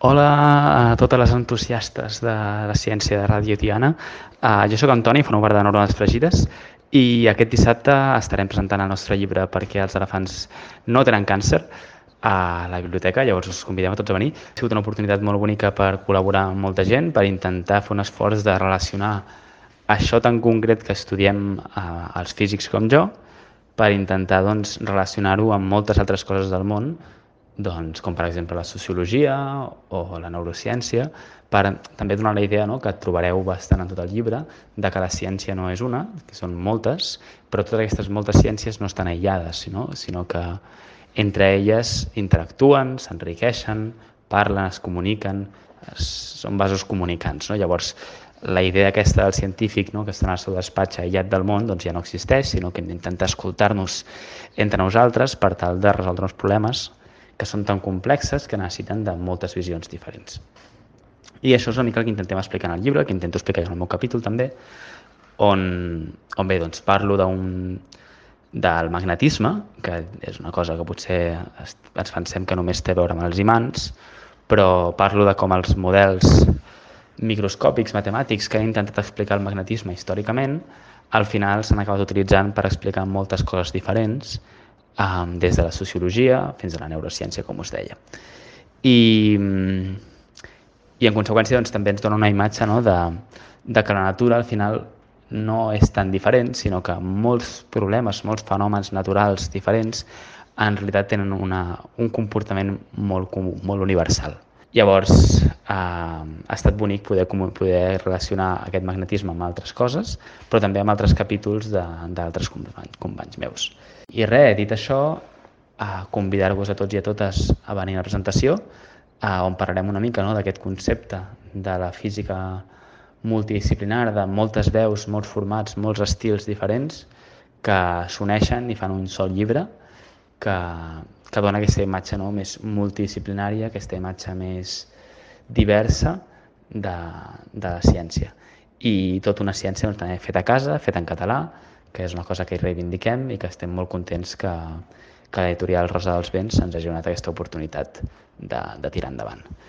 Hola a totes les entusiastes de la ciència de Ràdio Tiana. Jo sóc Antoni, formo part de Neurones Fregides i aquest dissabte estarem presentant el nostre llibre Perquè els elefants no tenen càncer a la biblioteca, llavors us convidem a tots a venir. Ha sigut una oportunitat molt bonica per col·laborar amb molta gent, per intentar fer un esforç de relacionar això tan concret que estudiem els físics com jo, per intentar relacionar-ho amb moltes altres coses del món, com per exemple la sociologia o la neurociència, per també donar la idea, no?, que trobareu bastant en tot el llibre, de que la ciència no és una, que són moltes, però totes aquestes moltes ciències no estan aïllades, sinó que entre elles interactuen, s'enriqueixen, parlen, es comuniquen, són vasos comunicants, no? Llavors, la idea aquesta del científic, no?, que està en el seu despatx aïllat del món, ja no existeix, sinó que hem d'intentar escoltar-nos entre nosaltres per tal de resoldre uns problemes que són tan complexes que necessiten de moltes visions diferents. I això és una mica el que intentem explicar en el llibre, que intento explicar en el meu capítol també, on bé, parlo del magnetisme, que és una cosa que potser ens pensem que només té a veure amb els imants, però parlo de com els models microscòpics matemàtics que han intentat explicar el magnetisme històricament, al final s'han acabat utilitzant per explicar moltes coses diferents, des de la sociologia fins a la neurociència, com us deia. I en conseqüència també ens dona una imatge, no?, de que la natura al final no és tan diferent, sinó que molts problemes, molts fenòmens naturals diferents en realitat tenen un comportament molt comú, molt universal. Llavors, ha estat bonic poder relacionar aquest magnetisme amb altres coses, però també amb altres capítols d'altres companys meus. I res, dit això, convidar-vos a tots i a totes a venir a la presentació, on parlarem una mica, no?, d'aquest concepte de la física multidisciplinar, de moltes veus, molts formats, molts estils diferents, que s'uneixen i fan un sol llibre, que dona aquesta imatge, no?, més multidisciplinària, aquesta imatge més diversa de la ciència. I tota una ciència també feta a casa, feta en català, que és una cosa que hi reivindiquem i que estem molt contents que l'editorial Rosa dels Vents ens hagi donat aquesta oportunitat de tirar endavant.